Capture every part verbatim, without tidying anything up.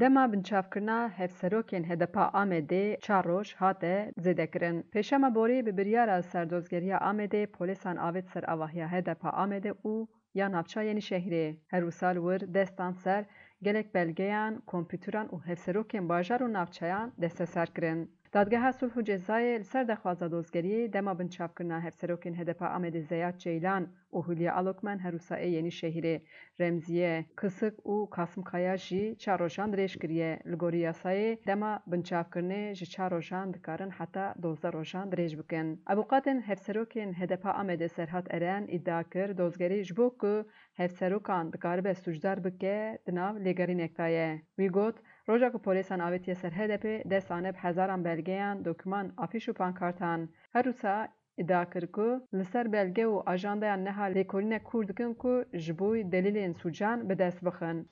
Dema binçavkirina hevserokên H D P a Amedê çar roj hate zêdekirin. Pêşema borî bi biryara serdozgeriya Amedê polîsan avêt ser avahiya H D P a Amedê û ya navça Yenîşehîrê. Her wisa li wir dest dan ser gelek belgeyan, kompûteran û hevserokên bajar û navçeyan desteser kirin. Dadgeha Sulh û Cezayê li ser daxwaza dozgeriyê dema binçavkirina hevserokên H D P a Amedê Zeyad Ceylan û Hülya Alokmen her wisa ê Yenîşehîrê, Remziye Kisik û Kasim Kaya jî çar rojan dirêj kiriye. Li gorî yasayê dema binçavkirinê ji çar rojan dikarin heta dozdeh rojan dirêj bikin. Avûkatên hevserokên H D P a Amedê Serhat Eren îdia kir, dozgerî ji bo ku hevserokan dikaribe sûcdar bike, di nav lêgerînek de ye. Wî got, roja ku polîsan avêtiye ser H D P, dest dane bi hezaran belgeyan, dokûman, afîş û pankartan. Her wisa îdia kir ku li ser belge û ajandeyan niha lêkolînek kûr dikin ku ji bo delîlên sûcan bi dest bixin.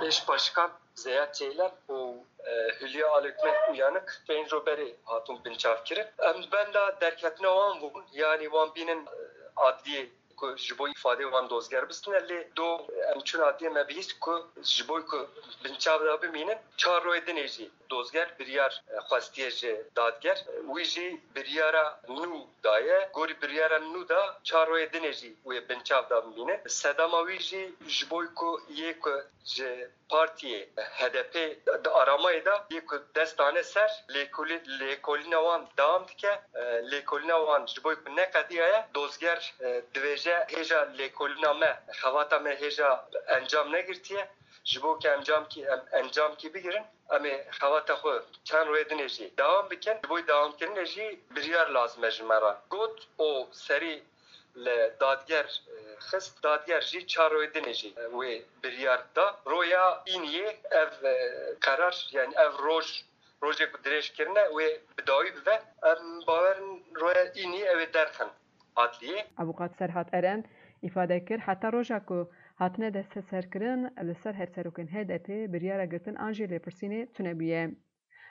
Eş Başkan Zeyad Ceylan û e, Hülya Alekmen Uyanık pênc roj berê hatûn binçavkirin. Em benda derketina wan bûn, yanî wan bînin e, adliyê ku ji bo îfadê wan dozger bistine, lê do em çûn adliyê, me bihîst ku ji bo ku binçav de bimînin, çar royê dinê jî dozger biryar e, xwestiye ji dadger. Wî jî biryara nû daye. Gorî biryara nû da çar royê dinê jî wê binçav de bimînin. Sedema wî jî ji bo ku yê ku ji partiyê H D P di aramayê de yê ku dest dane ser lêkolî-, lêkolîna wan dewam dike. E, lêkolîna wan ji bo ku neqediyaye, dozger e, divêje hêja lêkolîna me, xebata me hêja encam negirtiye. Ji bo ku encamkî, em encamkî bigirin, em ê xebata xwe çend royê dinê jî dewam bikin. Ji bo dewamkirinê jî biryar lazim e ji me re. Got û serî li dadger e, xist. Dadger jî çar royê dinê jî e, wê biryar da. Roya îniyê ev e, qerar, yanî ev roj, rojê ku dirêj kirine, wê bi dawî bibe. Em bawer in roya îniyê ew ê derxin adliyê. Avûkat Serhat Eren îfade kir, heta roja ku hatine desteserkirin, li ser hevserokên H D P biryara girtin an jî lêpirsînê tune bûye.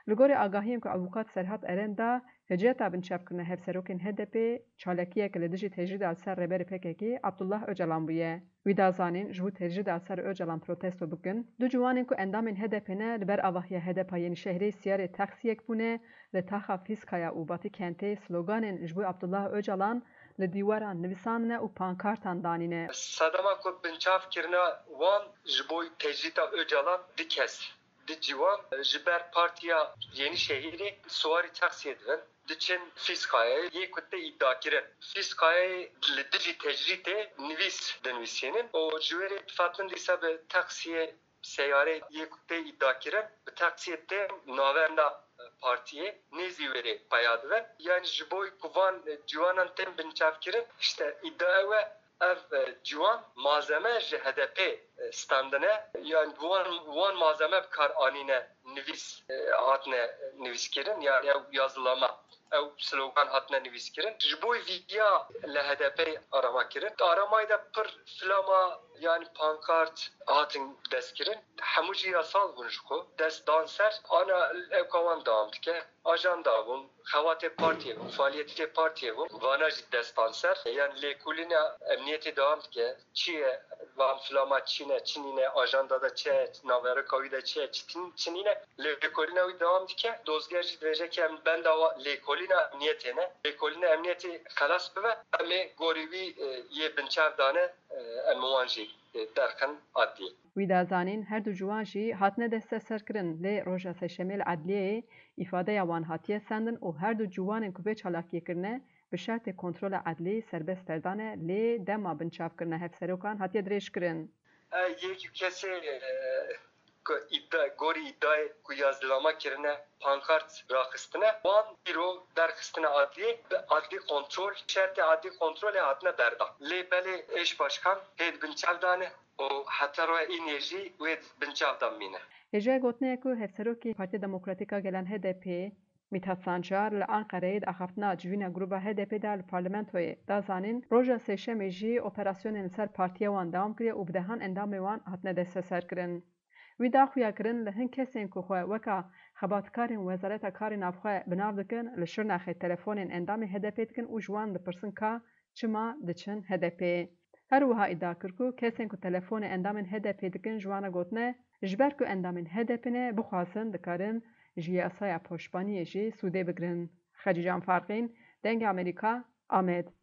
Li gorî agahiyên ku avûkat Serhat Eren da, hiceta binçavkirina hevserokên H D P çalakiyeke li dijî tecrîda li ser rêberê P K K Abdullah Ocalan bûye. Wî da zanîn, ji bo tecrîda li ser Ocalan protesto bikin, du ciwanên ku endamên H D P ne, li ber avahiya H D P a Yenîşehirê siyarê taksiyek bûne, li taxa Fîskaya û Batîkentê sloganên ji bo Abdullah Ocalan li dîwaran nivîsandine û pankartan danîne. Sedema ku binçavkirina wan ji bo tecrîda Ocalan du kes, du ciwan ji ber Partiya Yenîşehîrê siwarî taksiyê dibin, diçin Fîskayayê, yê ku tê îdiakirin. Fîskayayê li dijî tecrîdê nivîs dinivîsînin û ji wê rê difatin dîsa bi taksiyê, seyarê yê ku tê îdiakirin, bi taksiyê tên navenda partiyê, nêzî wê rê peya dibin. Yanî ji bo ku van ciwanan tên binçavkirin, işte îdia ew e, ev e, ciwan malzeme ji H D P e, standine, yanî wan, wan malzeme bi kar anîne, nivîs e, hatine nivîskirin, yanî ew yazılama, ew slogan hatine nivîskirin. Ji bo vîya li H D P arama kirin. Aramayê de pir flama, yanî pankart hatin destkirin. Hemû jî yasal bûn ji xwe. Dest dan ser, ana ew ka wan dewam dike. Ajanda bûn, xebatê partiyê bûn, faaliyetê partiyê bûn. Vana jî dest dan ser. Yanî lêkolîna emniyetê dewam dike. Çi ye? Van flama çi ne, çi nîne, ajanda de çi ye, navereka wî de çi ye, çi tin-, çi nîne. Lêkolîna wî dewam dike. Dozger jî dibêje ki em benda wa-, lêkolîna emniyetê ne. Lêkolîna emniyetê xelas bibe, em ê gorî wî e, yê binçav dane, e, em wan jî e, derxin adliyê. Wî da zanîn, her du ciwan jî hatine desteserkirin, lê roja sêşemê li edliyeyê îfadeya wan hatiye sendin û her du ciwanên ku vê çalakiyê kirine, bi şertê kontrola edlî serbest derdane, lê dema binçavkirina hevserokan hatiye dirêjkirin. Yek û kesê ku îdia, gorî îdiayê ku yazilama kirine, pankart raxistine, wan îro derxistine adliyê, bi adlî kontrol, şertê adlî kontrolê hatine berdan. Lê belê êş başkan hê di binçav de ne û heta roya înê jî wê di binçav de bimîne. Hêjayê gotinê ye ku Hevserokê Partiya Demokratîk a Gelan H D P, Mithat Sancar li Anqereyê di axaftina civîna grûba H D P de li parlamentoyê da zanîn, roja sêşemê jî operasyonên li ser partiya wan dewam kiriye û bi dehan endamên wan hatine desteserkirin. Wî da xuyakirin li hin kesên ku xwe weka xebatkarên Wezareta Karê Navxwe bi nav dikin, li Şirnexê telefonên endamên H D P dikin û ji wan dipirsin ka çima diçin H D P. Her wiha îdia kir ku kesên ku telefonê endamên H D P dikin ji wan re gotine, ji ber ku endamên H D P ne, bixwazin dikarin ji yasaya poşbaniyê jî sûdê bigirin. Xecîcan Farqîn, Dengê Amerîka, Amed.